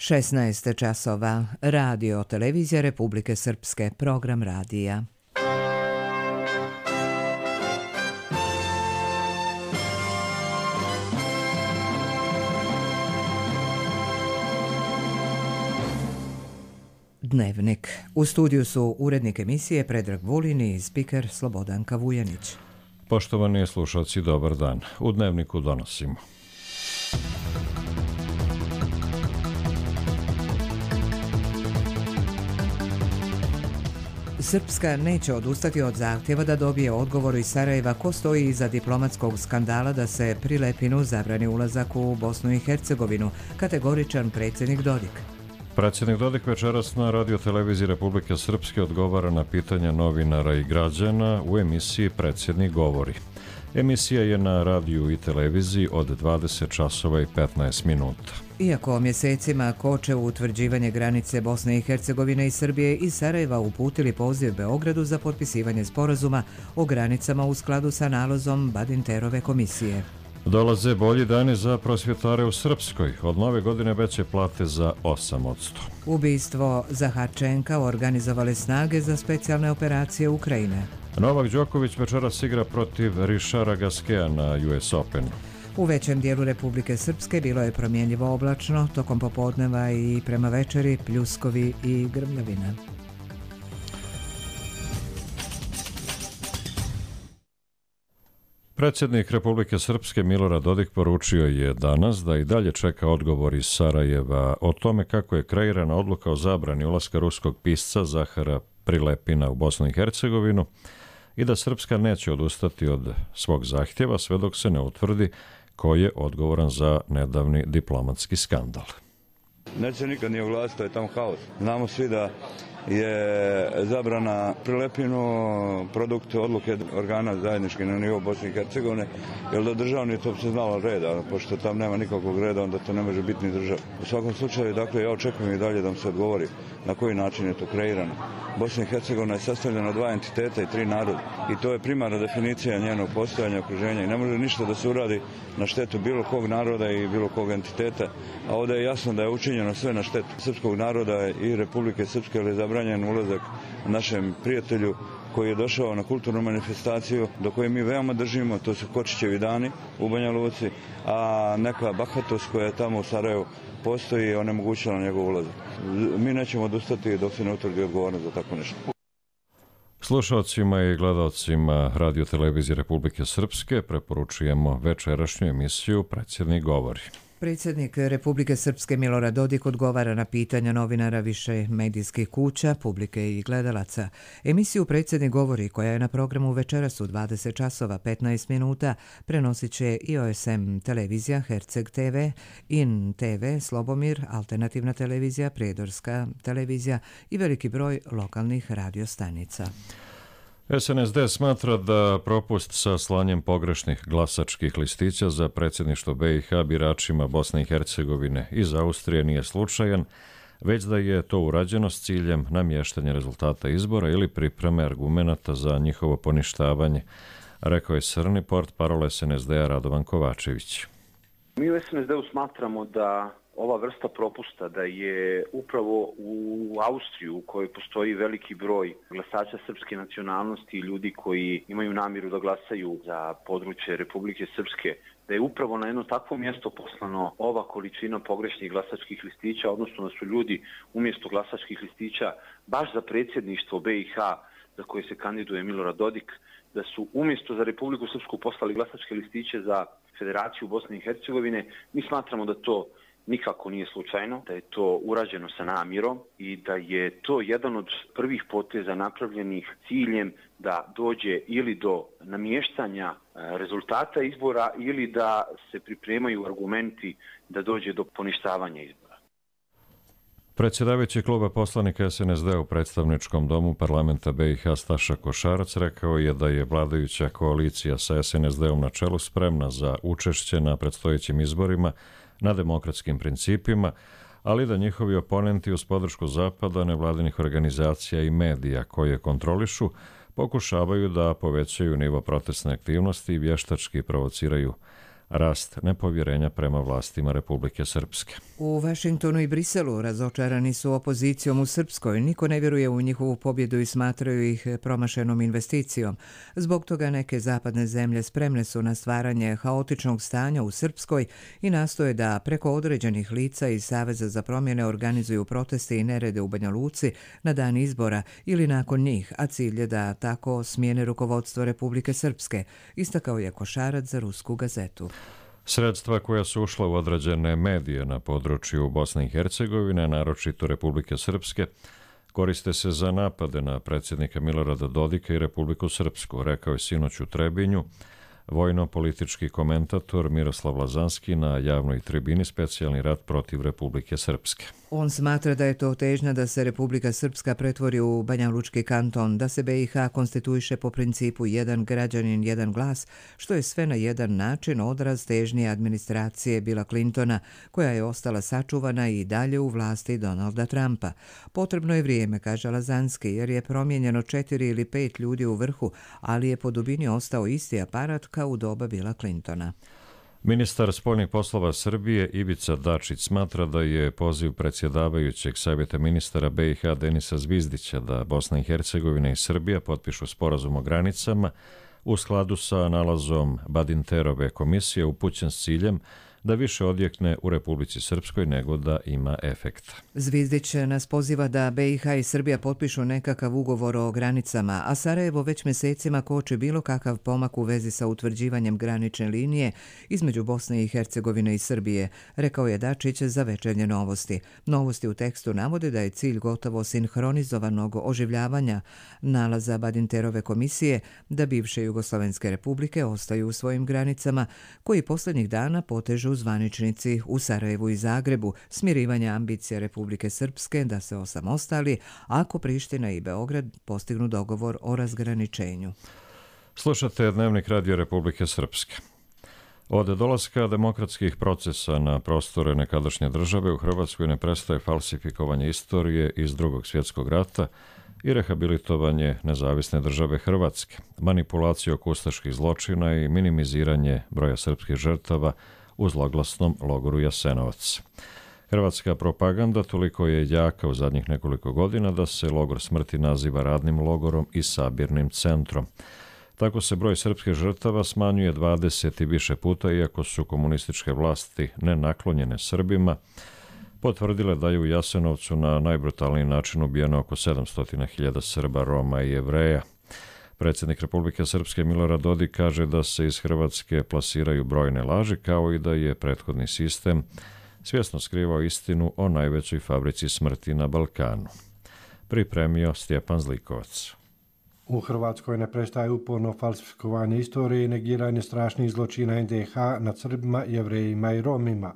16 časova. Radio Televizija Republike Srpske. Program radija. Dnevnik. U studiju su urednik emisije Predrag Vulin i spiker Slobodanka Vujanić. Poštovani slušalci, dobar dan. U Dnevniku donosimo. Srpska neće odustati od zahtjeva da dobije odgovor iz Sarajeva ko stoji iza diplomatskog skandala da se Prilepinu zabrani ulazak u Bosnu i Hercegovinu, kategoričan predsjednik Dodik. Predsjednik Dodik večeras na Radio Televiziji Republike Srpske odgovara na pitanja novinara i građana u emisiji Predsjednik govori. Emisija je na radiju i televiziji od 20 časova i 15 minuta. Iako mjesecima koče u utvrđivanje granice Bosne i Hercegovine i Srbije, iz Sarajeva uputili poziv Beogradu za potpisivanje sporazuma o granicama u skladu sa nalozom Badinterove komisije. Dolaze bolji dani za prosvjetare u Srpskoj. Od nove godine veće plate za 8%. Ubistvo Zaharčenka organizovale snage za specijalne operacije Ukrajine. Novak Đoković večeras igra protiv Richarda Gasqueta na US Openu. U većem dijelu Republike Srpske bilo je promjenjivo oblačno, tokom popodneva i prema večeri pljuskovi i grmljavina. Predsjednik Republike Srpske Milorad Dodik poručio je danas da i dalje čeka odgovor iz Sarajeva o tome kako je kreirana odluka o zabrani ulaska ruskog pisca Zahara Prilepina u Bosnu i Hercegovinu i da Srpska neće odustati od svog zahtjeva sve dok se ne utvrdi ko je odgovoran za nedavni diplomatski skandal. Neće nikad nije oglasiti, to je tamo haos. Znamo svi da je zabrana Prilepinu produkt odluke organa zajedničke na nivou Bosne i Hercegovine, jer da državni to bi se znalo reda, pošto tam nema nikakvog reda, onda to ne može biti ni država. U svakom slučaju, dakle, ja očekujem i dalje da mi se odgovori na koji način je to kreirano. Bosna i Hercegovina je sastavljena od 2 entiteta i 3 naroda i to je primarna definicija njenog postojanja, okruženja i ne može ništa da se uradi na štetu bilo kog naroda i bilo kog entiteta, a ovdje je jasno da je učinjeno sve na štetu srpskog naroda i Republike Srpske, ali je zabranjen ulazak našem prijatelju koji je došao na kulturnu manifestaciju do koje mi veoma držimo, to su Kočićevi dani u Banja Luci, a neka bahatost koja je tamo u Sarajevu postoji i onemogućila njegov ulazak. Mi nećemo odustati dok se ne utvrdi odgovornost za tako nešto. Slušalcima i gledalcima Radio Televizije Republike Srpske preporučujemo večerašnju emisiju Predsjednik govori. Predsjednik Republike Srpske Milorad Dodik odgovara na pitanja novinara više medijskih kuća, publike i gledalaca. Emisiju Predsjednik govori, koja je na programu večeras u 20 časova 15 minuta, prenosit će i OSM televizija, Herceg TV, IN TV, Slobomir, Alternativna televizija, Prijedorska televizija i veliki broj lokalnih radiostanica. SNSD smatra da propust sa slanjem pogrešnih glasačkih listića za predsjedništvo BiH biračima Bosne i Hercegovine iz Austrije nije slučajan, već da je to urađeno s ciljem namještanja rezultata izbora ili pripreme argumenata za njihovo poništavanje, rekao je crni portparol SNSD-a Radovan Kovačević. Mi u SNSD-u smatramo da ova vrsta propusta, da je upravo u Austriju, u kojoj postoji veliki broj glasača srpske nacionalnosti i ljudi koji imaju namjeru da glasaju za područje Republike Srpske, da je upravo na jedno takvo mjesto poslano ova količina pogrešnih glasačkih listića, odnosno da su ljudi umjesto glasačkih listića baš za predsjedništvo BiH za koje se kandiduje Milorad Dodik, da su umjesto za Republiku Srpsku poslali glasačke listiće za Federaciju Bosne i Hercegovine. Mi smatramo da to nikako nije slučajno, da je to urađeno sa namjerom i da je to jedan od prvih poteza napravljenih ciljem da dođe ili do namještanja rezultata izbora ili da se pripremaju argumenti da dođe do poništavanja izbora. Predsjedavajući kluba poslanika SNSD u predstavničkom domu parlamenta BiH Staša Košarac rekao je da je vladajuća koalicija sa SNSD-om na čelu spremna za učešće na predstojećim izborima na demokratskim principima, ali da njihovi oponenti uz podršku Zapada, nevladinih organizacija i medija koje kontrolišu pokušavaju da povećaju nivo protestne aktivnosti i vještački provociraju rast nepovjerenja prema vlastima Republike Srpske. U Vašingtonu i Briselu razočarani su opozicijom u Srpskoj. Niko ne vjeruje u njihovu pobjedu i smatraju ih promašenom investicijom. Zbog toga neke zapadne zemlje spremne su na stvaranje haotičnog stanja u Srpskoj i nastoje da preko određenih lica iz Saveza za promjene organizuju proteste i nerede u Banja Luci na dan izbora ili nakon njih, a cilj je da tako smijene rukovodstvo Republike Srpske, istakao je Košarac za Rusku gazetu. Sredstva koja su ušla u određene medije na području Bosne i Hercegovine, naročito Republike Srpske, koriste se za napade na predsjednika Milorada Dodika i Republiku Srpsku, rekao je sinoć u Trebinju vojno-politički komentator Miroslav Lazanski na javnoj tribini Specijalni rat protiv Republike Srpske. On smatra da je to težnja da se Republika Srpska pretvori u Banjalučki kanton, da se BiH konstituiše po principu jedan građanin, jedan glas, što je sve na jedan način odraz težnje administracije Billa Clintona, koja je ostala sačuvana i dalje u vlasti Donalda Trumpa. Potrebno je vrijeme, kaže Lazanski, jer je promijenjeno 4 ili 5 ljudi u vrhu, ali je po dubini ostao isti aparat kao u doba Billa Clintona. Ministar spoljnih poslova Srbije Ivica Dačić smatra da je poziv predsjedavajućeg savjeta ministara BiH Denisa Zvizdića da Bosna i Hercegovina i Srbija potpišu sporazum o granicama u skladu sa nalazom Badinterove komisije upućen s ciljem da više odjekne u Republici Srpskoj nego da ima efekta. Zvizdić nas poziva da BiH i Srbija potpišu nekakav ugovor o granicama, a Sarajevo već mjesecima koči bilo kakav pomak u vezi sa utvrđivanjem granične linije između Bosne i Hercegovine i Srbije, rekao je Dačić za Večernje novosti. Novosti u tekstu navode da je cilj gotovo sinhronizovanog oživljavanja nalaza Badinterove komisije da bivše Jugoslovenske republike ostaju u svojim granicama, koji posljednjih dana potežu zvaničnici u Sarajevu i Zagrebu, smirivanje ambicija Republike Srpske da se osamostali ako Priština i Beograd postignu dogovor o razgraničenju. Slušate Dnevnik Radio Republike Srpske. Od dolaska demokratskih procesa na prostore nekadašnje države u Hrvatskoj ne prestaje falsifikovanje istorije iz Drugog svjetskog rata i rehabilitovanje nezavisne države Hrvatske, manipulacija oko ustaških zločina i minimiziranje broja srpskih žrtava u zloglasnom logoru Jasenovac. Hrvatska propaganda toliko je jaka u zadnjih nekoliko godina da se logor smrti naziva radnim logorom i sabirnim centrom. Tako se broj srpskih žrtava smanjuje 20 i više puta, iako su komunističke vlasti nenaklonjene Srbima potvrdile da je u Jasenovcu na najbrutalniji način ubijeno oko 700.000 Srba, Roma i Jevreja. Predsjednik Republike Srpske Milorad Dodik kaže da se iz Hrvatske plasiraju brojne laži, kao i da je prethodni sistem svjesno skrivao istinu o najvećoj fabrici smrti na Balkanu. Pripremio Stjepan Zlikovac. U Hrvatskoj ne prestaje uporno falsifikovanje istorije i negiranje strašnih zločina NDH nad Srbima, Jevrejima i Romima.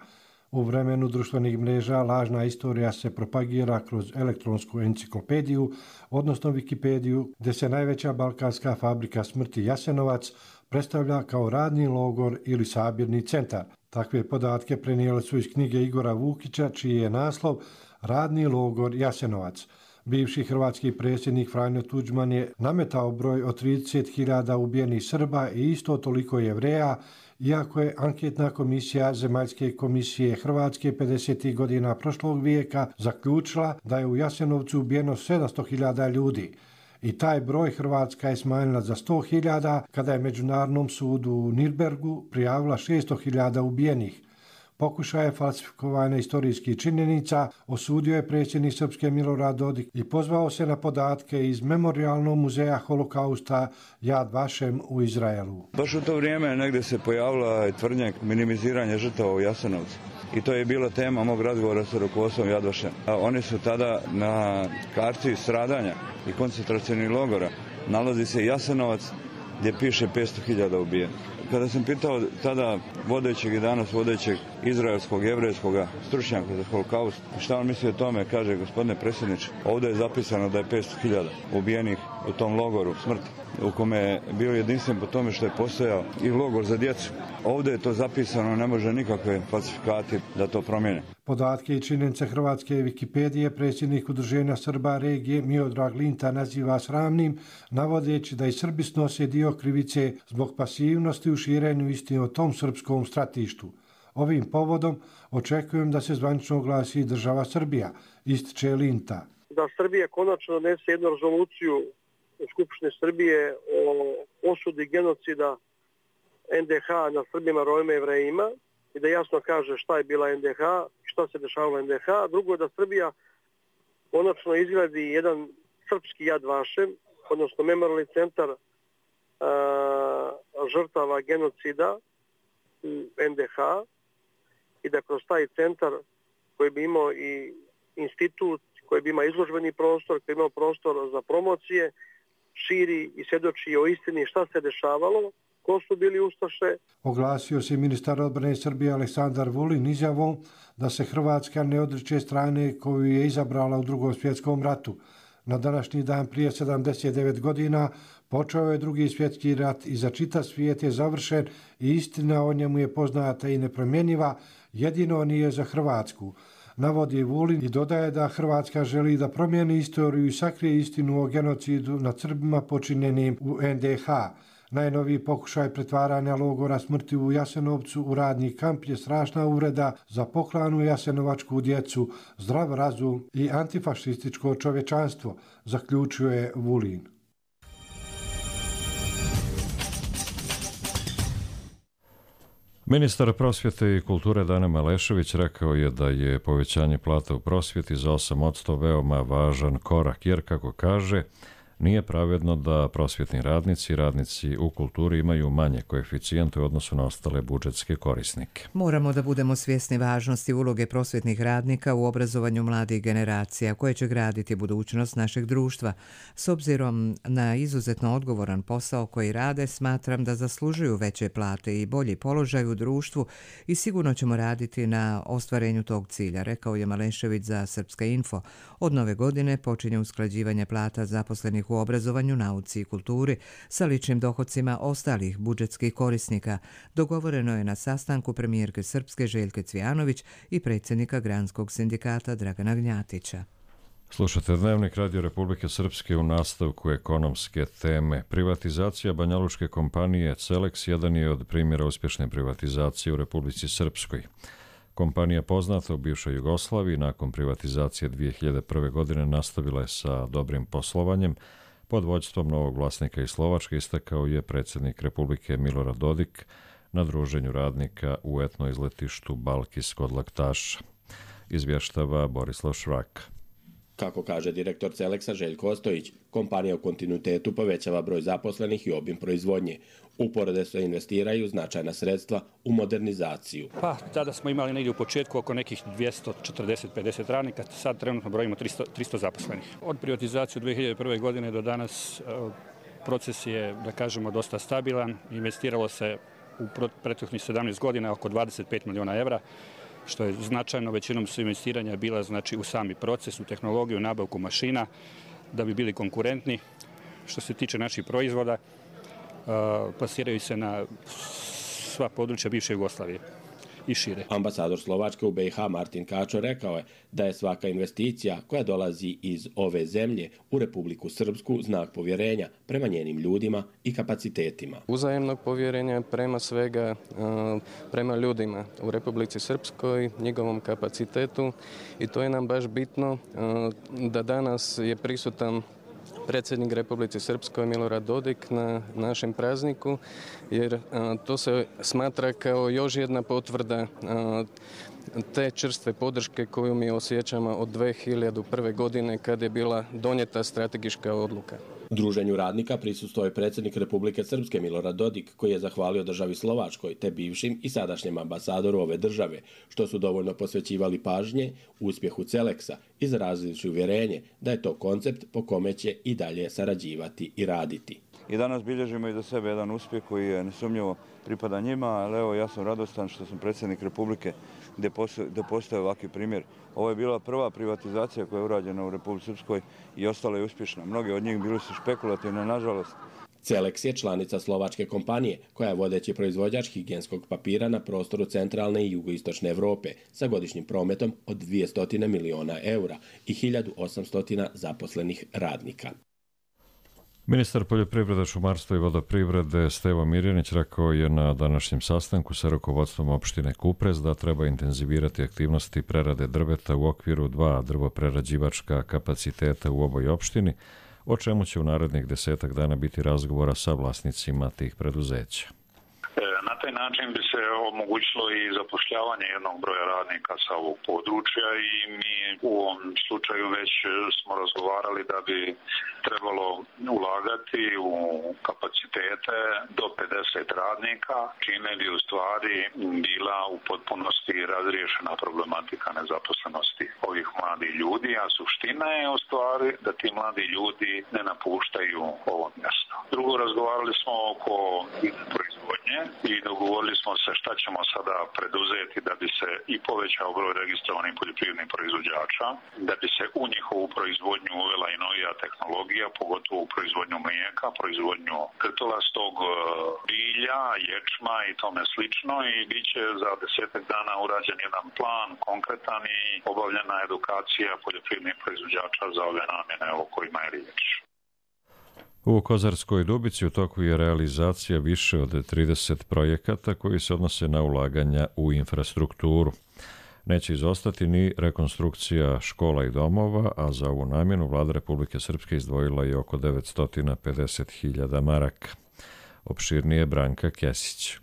U vremenu društvenih mreža lažna istorija se propagira kroz elektronsku enciklopediju, odnosno Wikipediju, gdje se najveća balkanska fabrika smrti Jasenovac predstavlja kao radni logor ili sabirni centar. Takve podatke prenijeli su iz knjige Igora Vukića, čiji je naslov Radni logor Jasenovac. Bivši hrvatski predsjednik Franjo Tuđman je nametao broj od 30.000 ubijenih Srba i isto toliko Jevreja, iako je anketna komisija Zemaljske komisije Hrvatske 50. godina prošlog vijeka zaključila da je u Jasenovcu ubijeno 700.000 ljudi. I taj broj Hrvatska je smanjila za 100.000 kada je Međunarodnom sudu u Nirnbergu prijavila 600.000 ubijenih. Pokušaje falsifikovanja istorijskih činjenica osudio je predsjednik Srpske Milorad Dodik i pozvao se na podatke iz Memorijalnog muzeja holokausta Yad Vashem u Izraelu. Baš u to vrijeme negdje se pojavila tvrdnja minimiziranja žrtava u Jasenovcu. I to je bila tema mog razgovora sa rukovodstvom Yad Vashem. Oni su tada na karti stradanja i koncentracionih logora nalazi se Jasenovac gdje piše 500.000 ubijenih. Kada sam pitao tada vodećeg i danas vodećeg izraelskog, jevrejskog stručnjaka za holokaust, šta on misli o tome, kaže, gospodine predsjedniče, ovdje je zapisano da je 500.000 ubijenih u tom logoru smrti, u kome je bio jedinstven po tome što je postojao i logor za djecu. Ovdje je to zapisano, ne može nikakve falsifikati da to promijene. Podatke i činjenice hrvatske Wikipedije predsjednik Udruženja Srba regije Miodrag Linta naziva sramnim, navodeći da i Srbi snose dio krivice zbog pasivnosti u širenju istine o tom srpskom stratištu. Ovim povodom očekujem da se zvanično oglasi država Srbija, ističe Linta. Da Srbija konačno donese jednu rezoluciju u Skupštini Srbije o osudi genocida NDH na Srbima, Romima i Jevrejima i da jasno kaže šta je bila NDH, šta se dešavalo NDH. Drugo je da Srbija konačno izgradi jedan srpski Jad Vašem, odnosno memorijalni centar žrtava genocida u NDH i da kroz taj centar koji bi imao i institut, koji bi imao izložbeni prostor, koji bi imao prostor za promocije, širi i svjedoči o istini šta se dešavalo, ko su bili ustaše. Oglasio se ministar odbrane Srbije Aleksandar Vulin izjavom da se Hrvatska ne odriče strane koju je izabrala u Drugom svjetskom ratu. Na današnji dan prije 79 godina počeo je Drugi svjetski rat i za čitav svijet je završen i istina o njemu je poznata i nepromjenjiva, jedino nije za Hrvatsku. Navodi Vulin i dodaje da Hrvatska želi da promijeni istoriju i sakrije istinu o genocidu nad Srbima počinjenim u NDH. Najnoviji pokušaj pretvaranja logora smrti u Jasenovcu u radni kamp je strašna uvreda za poklanu jasenovačku djecu, zdrav razum i antifašističko čovječanstvo, zaključuje Vulin. Ministar prosvjete i kulture Dane Malešević rekao je da je povećanje plata u prosvjeti za 8% veoma važan korak, jer, kako kaže, nije pravedno da prosvjetni radnici i radnici u kulturi imaju manje koeficijente u odnosu na ostale budžetske korisnike. Moramo da budemo svjesni važnosti uloge prosvjetnih radnika u obrazovanju mladih generacija koje će graditi budućnost našeg društva. S obzirom na izuzetno odgovoran posao koji rade, smatram da zaslužuju veće plate i bolji položaj u društvu i sigurno ćemo raditi na ostvarenju tog cilja, rekao je Malešević za Srpska info. Od nove godine počinje usklađivanje plata zaposlenih u obrazovanju, nauci i kulturi sa ličnim dohodcima ostalih budžetskih korisnika. Dogovoreno je na sastanku premijerke Srpske Željke Cvijanović i predsjednika Granskog sindikata Dragana Gnjatića. Slušate Dnevnik Radio Republike Srpske u nastavku ekonomske teme. Privatizacija banjalučke kompanije Celex jedan je od primjera uspješne privatizacije u Republici Srpskoj. Kompanija poznata u bivšoj Jugoslaviji nakon privatizacije 2001. godine nastavila je sa dobrim poslovanjem. Pod vođstvom novog vlasnika iz Slovačke istakao je predsjednik Republike Milorad Dodik na druženju radnika u etno izletištu Balkis kod Laktaša. Izvještava Borislav Švrak. Kako kaže direktor Celexa Željko Ostojić, kompanija u kontinuitetu povećava broj zaposlenih i obim proizvodnje. Uporede se investiraju značajna sredstva u modernizaciju. Tada smo imali negdje u početku oko nekih 240-50 radnika, sad trenutno brojimo 300 zaposlenih. Od privatizacije 2001. godine do danas proces je, da kažemo, dosta stabilan. Investiralo se u prethodnih 17 godina oko 25 milijuna evra, što je značajno. Većinom su investiranja bila u sami proces, u tehnologiju, nabavku mašina, da bi bili konkurentni. Što se tiče naših proizvoda, plasiraju se na sva područja bivše Jugoslavije i šire. Ambasador Slovačke u BiH Martin Kačo rekao je da je svaka investicija koja dolazi iz ove zemlje u Republiku Srpsku znak povjerenja prema njenim ljudima i kapacitetima. Uzajemnog povjerenja prema svega, prema ljudima u Republici Srpskoj, njegovom kapacitetu, i to je nam baš bitno da danas je prisutan predsjednik Republike Srpskoj Milorad Dodik na našem prazniku, jer to se smatra kao još jedna potvrda te čvrste podrške koju mi osjećamo od 2001. godine kad je bila donijeta strategička odluka. Druženju radnika prisustvovao je predsjednik Republike Srpske Milorad Dodik, koji je zahvalio državi Slovačkoj te bivšim i sadašnjem ambasadoru ove države, što su dovoljno posvećivali pažnje uspjehu Celexa, izrazivši uvjerenje da je to koncept po kome će i dalje sarađivati i raditi. I danas bilježimo i za sebe jedan uspjeh koji je nesumnjivo pripada njima, ali evo, ja sam radostan što sam predsjednik Republike gdje postoje ovakvi primjer. Ovo je bila prva privatizacija koja je urađena u Republici Srpskoj i ostala je uspješna. Mnogi od njih bili su špekulativne, nažalost. Celex je članica slovačke kompanije koja je vodeći proizvođač higijenskog papira na prostoru centralne i jugoistočne Evrope sa godišnjim prometom od 200 miliona eura i 1800 zaposlenih radnika. Ministar poljoprivrede, šumarstva i vodoprivrede Stevo Mirjanić rekao je na današnjem sastanku sa rukovodstvom opštine Kuprez da treba intenzivirati aktivnosti prerade drveta u okviru 2 drvoprerađivačka kapaciteta u ovoj opštini, o čemu će u narednih 10 dana biti razgovora sa vlasnicima tih preduzeća. Na taj način bi se omogućilo i zapošljavanje jednog broja radnika sa ovog područja i mi u ovom slučaju već smo razgovarali da bi trebalo ulagati u kapacitete do 50 radnika, čime bi u stvari bila u potpunosti razriješena problematika nezaposlenosti ovih mladih ljudi, a suština je u stvari da ti mladi ljudi ne napuštaju ovo mjesto. Drugo, razgovarali smo oko proizvodnje i dogovorili smo se šta ćemo sada preduzeti da bi se i povećao broj registrovanih poljoprivrednih proizvođača, da bi se u njihovu proizvodnju uvela i novija tehnologija, pogotovo u proizvodnju mlijeka, proizvodnju krtolastog bilja, ječma i tome slično, i bit će za 10 dana urađen jedan plan konkretan i obavljena edukacija poljoprivrednih proizvođača za ove namjene o kojima je riječ. U Kozarskoj Dubici u toku je realizacija više od 30 projekata koji se odnose na ulaganja u infrastrukturu. Neće izostati ni rekonstrukcija škola i domova, a za ovu namjenu Vlada Republike Srpske izdvojila je oko 950.000 maraka. Opširnije Branka Kesić.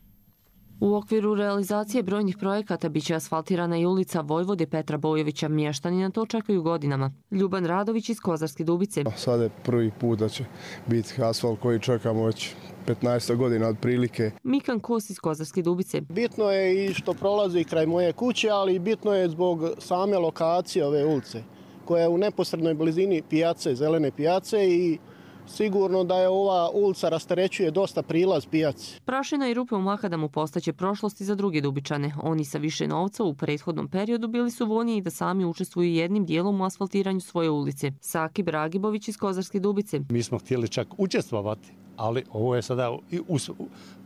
U okviru realizacije brojnih projekata biće asfaltirana i ulica Vojvode Petra Bojovića. Mještani na to čekaju godinama. Ljuban Radović iz Kozarske Dubice. Sada je prvi put da će biti asfalt koji čekamo već 15 godina otprilike. Mikan Kos iz Kozarske Dubice. Bitno je i što prolazi kraj moje kuće, ali bitno je zbog same lokacije ove ulice, koja je u neposrednoj blizini pijace, zelene pijace, i sigurno da je ova ulica rasterećuje dosta prilaz pijaci. Prašina i rupe u makadamu postaće prošlosti za druge Dubičane. Oni sa više novca u prethodnom periodu bili su voljni da sami učestvuju jednim dijelom u asfaltiranju svoje ulice. Sakib Ragibović iz Kozarske Dubice. Mi smo htjeli čak učestvovati, ali ovo je sada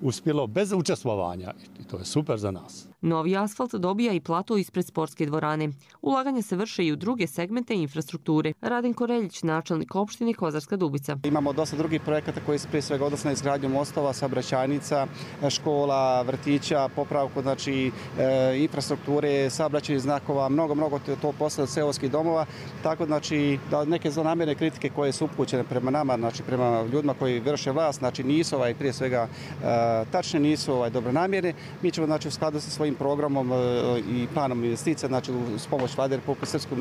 uspjelo bez učestvovanja i to je super za nas. Novi asfalt dobija i plato ispred sportske dvorane. Ulaganja se vrše i u druge segmente infrastrukture. Raden Koreljić, načelnik opštine Kozarska Dubica. Imamo dosta drugih projekata koji se prije svega odnose na izgradnju mostova, saobraćajnica, škola, vrtića, popravku infrastrukture, saobraćajnih znakova, mnogo to posle od seoskih domova. Tako znači da neke zlonamjerne kritike koje su upućene prema nama, znači prema ljudima koji vrše vlast, znači nisu prije svega tačne, nisu dobronamjerne. Mi ćemo znači u skladu sa svojim programom i planom investicija, znači uz pomoć Vlade Republike Srpske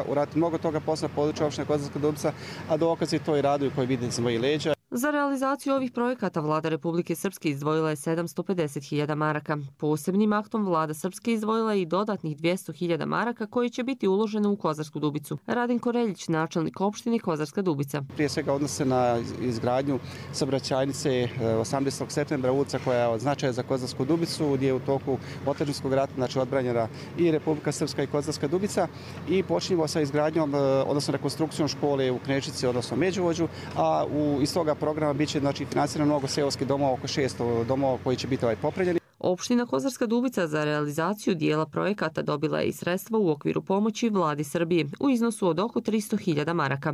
uraditi mnogo toga posla područja opštine Kozarska Dubica, a dokazi to i raduju koji vide sa mojih leđa. Za realizaciju ovih projekata Vlada Republike Srpske izdvojila je 750.000 maraka. Posebnim aktom Vlada Srpske izdvojila je i dodatnih 200.000 maraka koji će biti uložene u Kozarsku Dubicu. Raden Koreljić, načelnik opštine Kozarska Dubica. Prije svega odnose na izgradnju saobraćajnice 18. septembra, ulica koja je od značaja za Kozarsku Dubicu, gdje je u toku otadžbinskog rata znači odbranjena i Republika Srpska i Kozarska Dubica, i počinjemo sa izgradnjom, odnosno rekonstrukcijom škole u Knečici, odnosno Međuvođu, a iz toga programa biće znači financirano mnogo seoskih domova, oko 600 domova koji će biti popravljeni. Opština Kozarska Dubica za realizaciju dijela projekata dobila je i sredstva u okviru pomoći Vladi Srbije u iznosu od oko 300.000 maraka.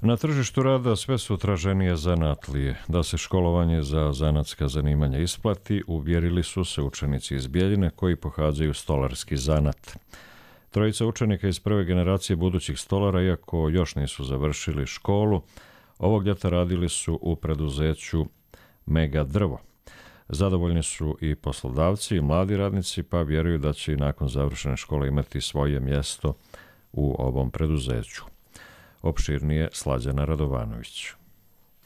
Na tržištu rada sve su traženije zanatlije. Da se školovanje za zanatska zanimanja isplati, uvjerili su se učenici iz Bjeljine koji pohađaju stolarski zanat. Trojica učenika iz prve generacije budućih stolara, iako još nisu završili školu, ovog ljeta radili su u preduzeću Mega Drvo. Zadovoljni su i poslodavci i mladi radnici, pa vjeruju da će i nakon završene škole imati svoje mjesto u ovom preduzeću. Opširnije Slađana Radovanović.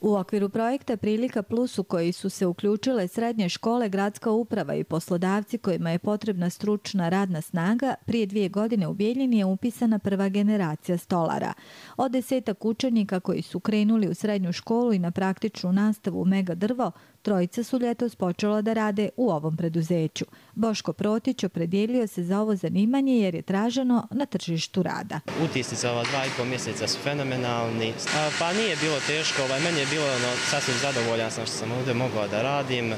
U okviru projekta Prilika Plus u koji su se uključile srednje škole, gradska uprava i poslodavci kojima je potrebna stručna radna snaga, prije 2 godine u Bijeljini je upisana prva generacija stolara. Od 10 učenika koji su krenuli u srednju školu i na praktičnu nastavu u Mega Drvo, Trojica su ljetos počela da rade u ovom preduzeću. Boško Protić opredijelio se za ovo zanimanje jer je traženo na tržištu rada. Utisci za ova 2,5 mjeseca su fenomenalni. Pa nije bilo teško, meni je bilo sasvim zadovoljan sam što sam ovdje mogao da radim,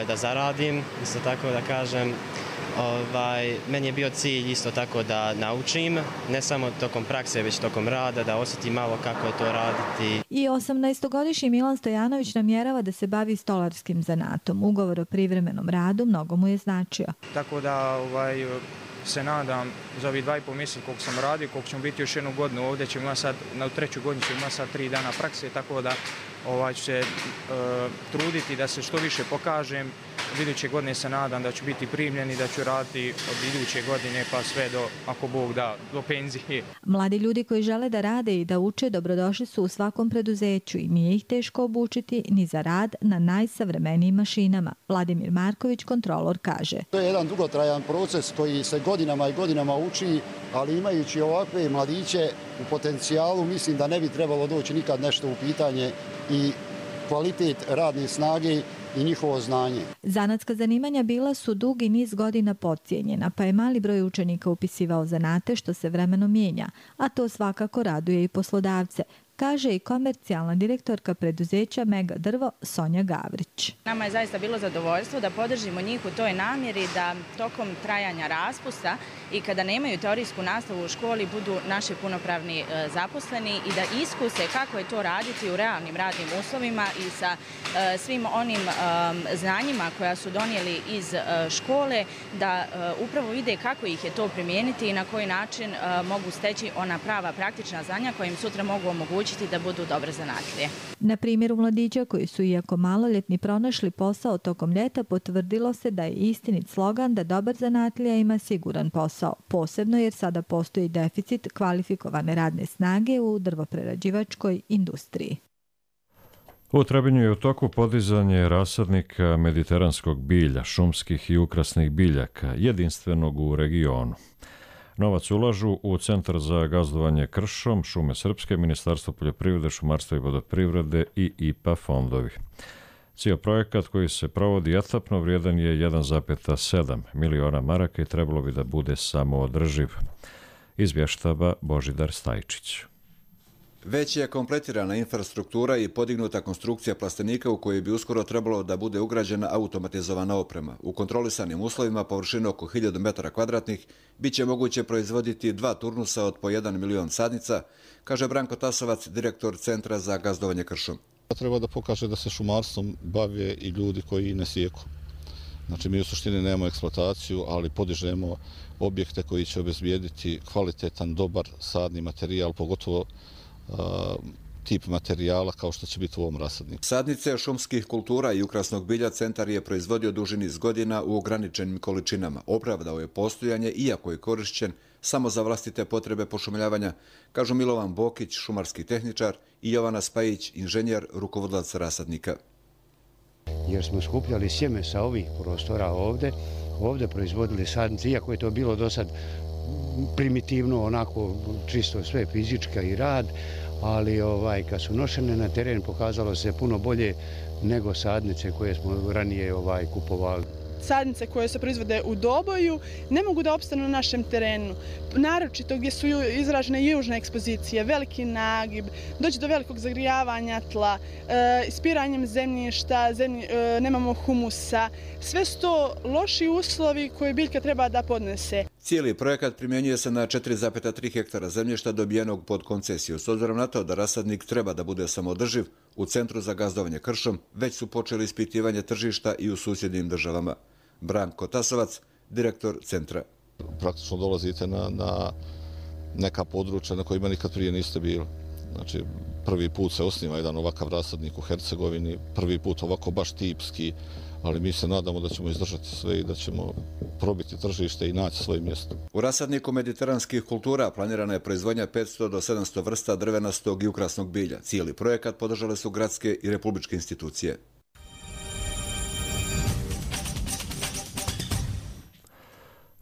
da zaradim, isto tako da kažem. Meni je bio cilj isto tako da naučim, ne samo tokom prakse, već tokom rada, da osjetim malo kako je to raditi. I 18-godišnji Milan Stojanović namjerava da se bavi stolarskim zanatom. Ugovor o privremenom radu mnogo mu je značio. Tako da se nadam za ovih 2,5 mjeseca koliko sam radio, koliko ćemo biti još jednu godinu ovdje, ćemo imati sad, na treću godinu ćemo imati sad 3 dana prakse, tako da ću se truditi da se što više pokažem. Od iduće godine se nadam da ću biti primljen i da ću raditi od iduće godine pa sve do, ako Bog da, do penzije. Mladi ljudi koji žele da rade i da uče dobrodošli su u svakom preduzeću i nije ih teško obučiti ni za rad na najsavremenijim mašinama. Vladimir Marković, kontrolor, kaže. To je jedan dugotrajan proces koji se godinama i godinama uči, ali imajući ovakve mladiće u potencijalu, mislim da ne bi trebalo doći nikad nešto u pitanje i kvalitet radne snage i njihovo znanje. Zanatska zanimanja bila su dugi niz godina podcijenjena, pa je mali broj učenika upisivao zanate što se vremenom mijenja, a to svakako raduje i poslodavce, kaže i komercijalna direktorka preduzeća Mega Drvo Sonja Gavrić. Nama je zaista bilo zadovoljstvo da podržimo njih u toj namjeri da tokom trajanja raspusta i kada nemaju teorijsku nastavu u školi budu naši punopravni zaposleni i da iskuse kako je to raditi u realnim radnim uslovima i sa svim onim znanjima koja su donijeli iz škole, da upravo vide kako ih je to primijeniti i na koji način mogu steći ona prava praktična znanja koja im sutra mogu omogućiti da budu dobre zanatlije. Na primjeru mladića koji su iako maloljetni pronašli posao tokom ljeta, potvrdilo se da je istinit slogan da dobar zanatlija ima siguran posao, posebno jer sada postoji deficit kvalifikovane radne snage u drvoprerađivačkoj industriji. U Trebinju je u toku podizanje rasadnika mediteranskog bilja, šumskih i ukrasnih biljaka, jedinstvenog u regionu. Novac ulažu u Centar za gazdovanje kršom, Šume Srpske, Ministarstvo poljoprivrede, šumarstva i vodoprivrede i IPA fondovi. Cijel projekat koji se provodi etapno vrijedan je 1,7 miliona maraka i trebalo bi da bude samoodrživ. Izvještava Božidar Stajčić. Već je kompletirana infrastruktura i podignuta konstrukcija plastenika u kojoj bi uskoro trebalo da bude ugrađena automatizovana oprema. U kontrolisanim uslovima površine oko 1000 metara kvadratnih bit će moguće proizvoditi 2 turnusa od po 1 milion sadnica, kaže Branko Tasovac, direktor Centra za gazdovanje kršom. Treba da pokaže da se šumarstvom bave i ljudi koji ne sijeku. Znači, mi u suštini nemamo eksploataciju, ali podižemo objekte koji će obezbijediti kvalitetan, dobar sadni materijal, pogotovo tip materijala kao što će biti u ovom rasadniku. Sadnice šumskih kultura i ukrasnog bilja Centar je proizvodio duži niz godina u ograničenim količinama. Opravdao je postojanje, iako je korišćen samo za vlastite potrebe pošumljavanja, kažu Milovan Bokić, šumarski tehničar, i Jovana Spajić, inženjer, rukovodilac rasadnika. Jer smo skupljali sjeme sa ovih prostora ovdje proizvodili sadnice, iako je to bilo do sad primitivno, onako čisto sve fizička i rad, ali kad su nošene na teren pokazalo se puno bolje nego sadnice koje smo ranije kupovali. Sadnice koje se proizvode u Doboju ne mogu da opstanu na našem terenu, naročito gdje su izražene južne ekspozicije, veliki nagib, doći do velikog zagrijavanja tla, ispiranjem zemljišta, nemamo humusa. Sve su to loši uslovi koje biljka treba da podnese. Cijeli projekat primjenjuje se na 4,3 hektara zemljišta dobijenog pod koncesiju. S obzirom na to da rasadnik treba da bude samoodrživ, u Centru za gazdovanje kršom već su počeli ispitivanje tržišta i u susjednim državama. Branko Tasovac, direktor centra. Praktično dolazite na neka područja na kojima nikad prije niste bili. Znači, prvi put se osniva jedan ovakav rasadnik u Hercegovini, prvi put ovako baš tipski, ali mi se nadamo da ćemo izdržati sve i da ćemo probiti tržište i naći svoje mjesto. U rasadniku mediteranskih kultura planirana je proizvodnja 500 do 700 vrsta drvenastog i ukrasnog bilja. Cijeli projekat podržale su gradske i republičke institucije.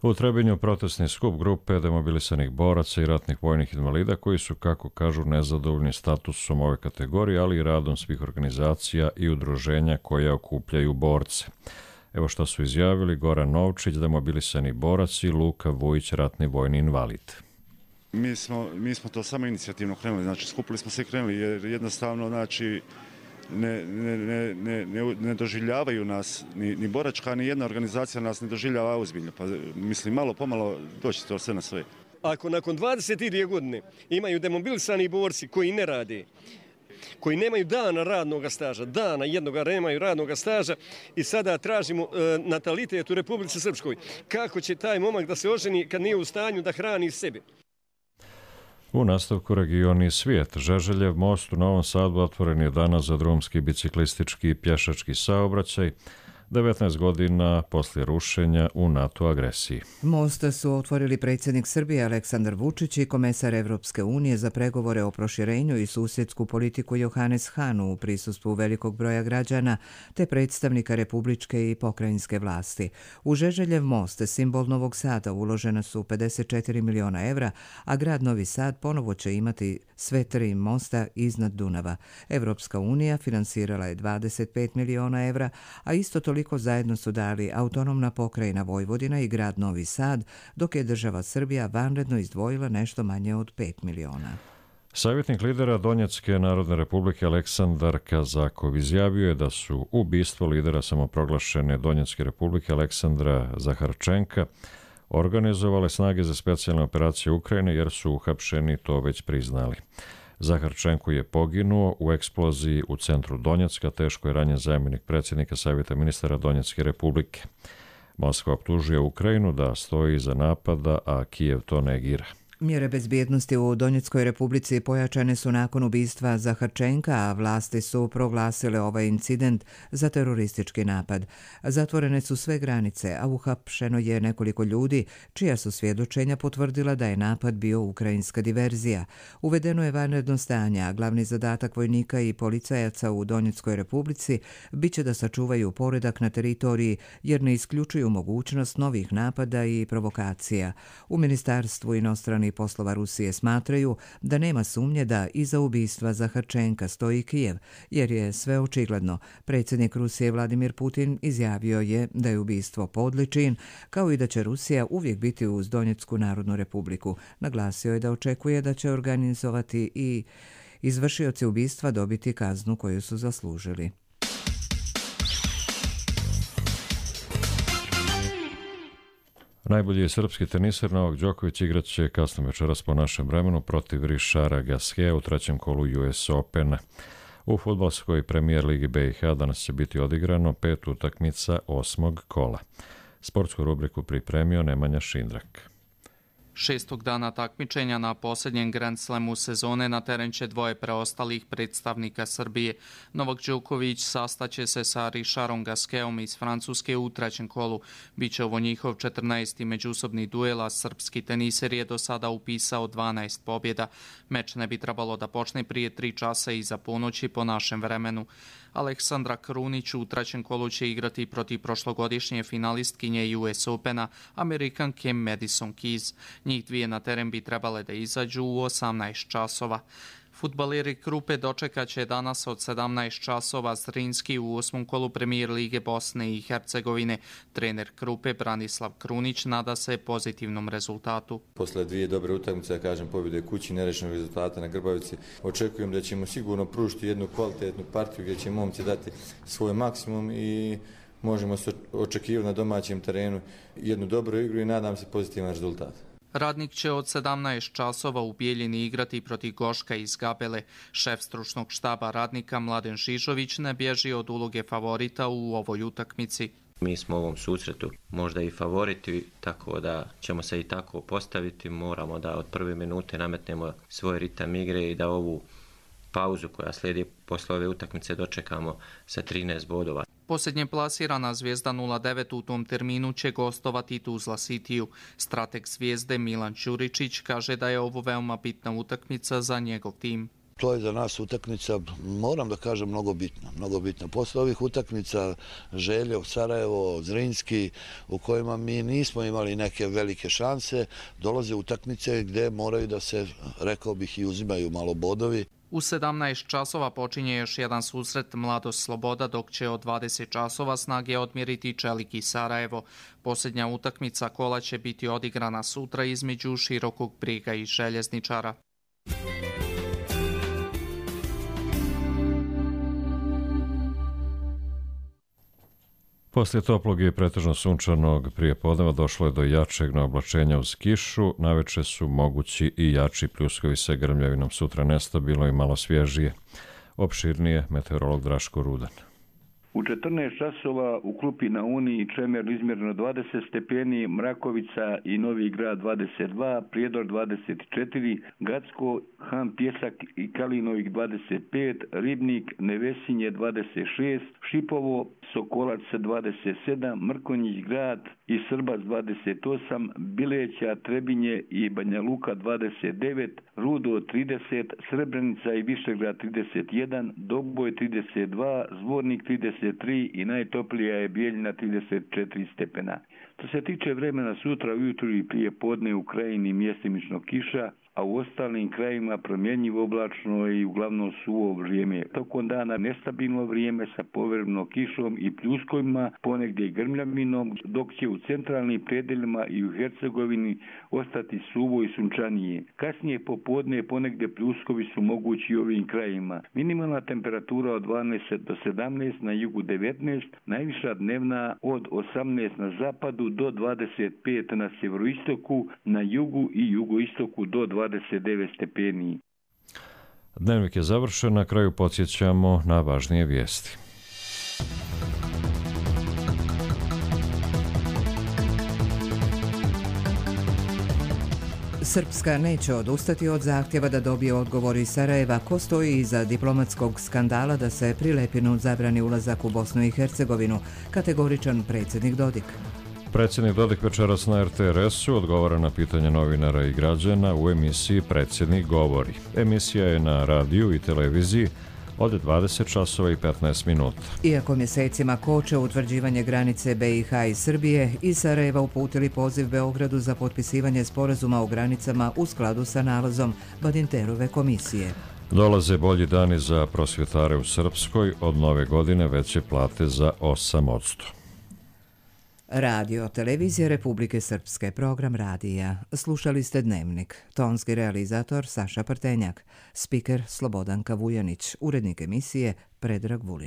U Trebinju protestni skup grupe demobilisanih boraca i ratnih vojnih invalida koji su, kako kažu, nezadovoljni statusom ove kategorije, ali i radom svih organizacija i udruženja koje okupljaju borce. Evo što su izjavili Goran Novčić, demobilisani borac, i Luka Vujić, ratni vojni invalid. Mi smo to samo inicijativno krenuli, znači skupili smo se i krenuli jer jednostavno znači ne doživljavaju nas, ni boračka, ni jedna organizacija nas ne doživljava ozbiljno. Pa mislim, malo pomalo doći to sve na sve. Ako nakon 22 godine imaju demobilisani borci koji ne rade, koji nemaju dana radnog staža, dana jednoga nemaju radnog staža i sada tražimo natalitet u Republici Srpskoj. Kako će taj momak da se oženi kad nije u stanju da hrani sebe? U nastavku regioni svijet. Žeželjev most u Novom Sadu otvoren je danas za drumski, biciklistički i pješački saobraćaj, 19 godina poslije rušenja u NATO agresiji. Most su otvorili predsjednik Srbije Aleksandar Vučić i komesar Evropske unije za pregovore o proširenju i susjedsku politiku Johannes Hahn u prisustvu velikog broja građana te predstavnika republičke i pokrajinske vlasti. U Žeželjev most, simbol Novog Sada, uložena su 54 miliona evra, a grad Novi Sad ponovo će imati sve 3 mosta iznad Dunava. Evropska unija finansirala je 25 miliona evra, a isto toliko zajedno su dali autonomna pokrajina Vojvodina i grad Novi Sad, dok je država Srbija vanredno izdvojila nešto manje od 5 miliona. Savjetnik lidera Donjecke Narodne Republike Aleksandar Kazakov izjavio je da su ubistvo lidera samoproglašene Donjecke Republike Aleksandra Zaharčenka organizovale snage za specijalne operacije Ukrajine jer su uhapšeni to već priznali. Zaharčenko je poginuo u eksploziji u centru Donjecka, teško je ranjen zamjenik predsjednika Savjeta ministara Donjecke Republike. Moskva optužuje Ukrajinu da stoji iza napada, a Kijev to negira. Mjere bezbjednosti u Donjeckoj Republici pojačane su nakon ubistva Zaharčenka, a vlasti su proglasile ovaj incident za teroristički napad. Zatvorene su sve granice, a uhapšeno je nekoliko ljudi, čija su svjedočenja potvrdila da je napad bio ukrajinska diverzija. Uvedeno je vanredno stanje, a glavni zadatak vojnika i policajaca u Donjeckoj Republici biće da sačuvaju poredak na teritoriji, jer ne isključuju mogućnost novih napada i provokacija. U Ministarstvu inostranih poslova Rusije smatraju da nema sumnje da iza ubistva Zaharčenka stoji Kijev, jer je sve očigledno. Predsjednik Rusije Vladimir Putin izjavio je da je ubistvo podli čin, kao i da će Rusija uvijek biti uz Donjecku Narodnu Republiku. Naglasio je da očekuje da će organizovati i izvršioci ubistva dobiti kaznu koju su zaslužili. Najbolji je srpski teniser Novak Đoković igrat će kasno večeras po našem vremenu protiv Richarda Gasqueta u trećem kolu US Opena. U fudbalskoj premijer ligi BiH danas će biti odigrano 5 utakmica 8. kola. Sportsku rubriku pripremio Nemanja Šindrak. 6. dana takmičenja na posljednjem Grand Slamu sezone na teren će dvoje preostalih predstavnika Srbije. Novak Đoković sastaće se sa Richardom Gasquetom iz Francuske u trećem kolu. Biće ovo njihov 14. međusobni duel, a srpski teniser je do sada upisao 12 pobjeda. Meč ne bi trebalo da počne prije 3 časa iza ponoći po našem vremenu. Aleksandra Krunić u trećem kolu će igrati protiv prošlogodišnje finalistkinje US Opena, Amerikanke Madison Keys. Njih dvije na teren bi trebale da izađu u 18 časova. Fudbaleri Krupe dočekat će danas od 17 časova Zrinski u 8. kolu premijer lige Bosne i Hercegovine. Trener Krupe Branislav Krunić nada se pozitivnom rezultatu. Posle 2 dobre utakmice, kažem, pobjede kući, nerešenog rezultata na Grbavici, očekujem da ćemo sigurno pružiti jednu kvalitetnu partiju gdje će momci dati svoj maksimum i možemo se očekivati na domaćem terenu jednu dobru igru i nadam se pozitivan rezultat. Radnik će od 17 časova u Bijeljini igrati protiv Goška iz Gabele. Šef stručnog štaba Radnika Mladen Žižović ne bježi od uloge favorita u ovoj utakmici. Mi smo u ovom susretu možda i favoriti, tako da ćemo se i tako postaviti. Moramo da od prve minute nametnemo svoj ritam igre i da ovu pauzu koja slijedi posle ove utakmice dočekamo sa 13 bodova. Posljednje plasirana Zvijezda 09 u tom terminu će gostovati Tuzla Cityu. Strateg Zvijezde Milan Ćuričić kaže da je ovo veoma bitna utakmica za njegov tim. To je za nas utakmica, moram da kažem, mnogo bitna. Posle ovih utakmica Željev, Sarajevo, Zrinski, u kojima mi nismo imali neke velike šanse, dolaze utakmice gdje moraju da se, rekao bih, i uzimaju malo bodovi. U 17 časova počinje još jedan susret Mladost Sloboda, dok će od 20 časova Snage odmjeriti Čelik i Sarajevo. Posljednja utakmica kola će biti odigrana sutra između Širokog Brijega i Željezničara. Poslije toplog i pretežno sunčanog prijepodneva došlo je do jačeg naoblačenja uz kišu. Naveče su mogući i jači pljuskovi sa grmljavinom, sutra nestabilno i malo svježije. Opširnije meteorolog Draško Rudan. U 14 časova u Klupi na Uni Čemer izmjereno 20 stepeni, Mrakovica i Novi Grad 22, Prijedor 24, Gacko, Han Pjesak i Kalinovik 25, Ribnik, Nevesinje 26, Šipovo, Sokolac 27, Mrkonjić Grad i Srbac 28, Bileća, Trebinje i Banja Luka 29, Rudo 30, Srebrenica i Višegrad 31, Doboj 32, Zvornik 33 i najtoplija je Bijeljina 34 stepena. Što se tiče vremena, sutra ujutru i prije podne u krajini mjestimično kiša, a u ostalim krajima promjenjivo oblačno i uglavnom suvo vrijeme. Tokom dana nestabilno vrijeme sa povremeno kišom i pljuskovima, ponegdje i grmljavinom, dok će u centralnim predeljima i u Hercegovini ostati suvo i sunčanije. Kasnije popodne ponegdje pljuskovi su mogući u ovim krajima. Minimalna temperatura od 12 do 17, na jugu 19, najviša dnevna od 18 na zapadu do 25 na sjeveroistoku, na jugu i jugoistoku do 29 stepeni. Dnevnik je završen, na kraju podsjećamo na važnije vijesti. Srpska neće odustati od zahtjeva da dobije odgovor iz Sarajeva ko stoji iza diplomatskog skandala da se Prilepinu zabrani ulazak u Bosnu i Hercegovinu, kategoričan predsjednik Dodik. Predsjednik Dodik večeras na RTRS-u odgovara na pitanje novinara i građana u emisiji Predsjednik govori. Emisija je na radiju i televiziji od 20 časova i 15 minuta. Iako mjesecima koče utvrđivanje granice BiH i Srbije, iz Sarajeva uputili poziv Beogradu za potpisivanje sporazuma o granicama u skladu sa nalazom Badinterove komisije. Dolaze bolji dani za prosvjetare u Srpskoj, od nove godine veće plate za 8%. Radio, televizija Republike Srpske, program radija. Slušali ste Dnevnik. Tonski realizator Saša Prtenjak, spiker Slobodanka Vujanić, urednik emisije Predrag Vulin.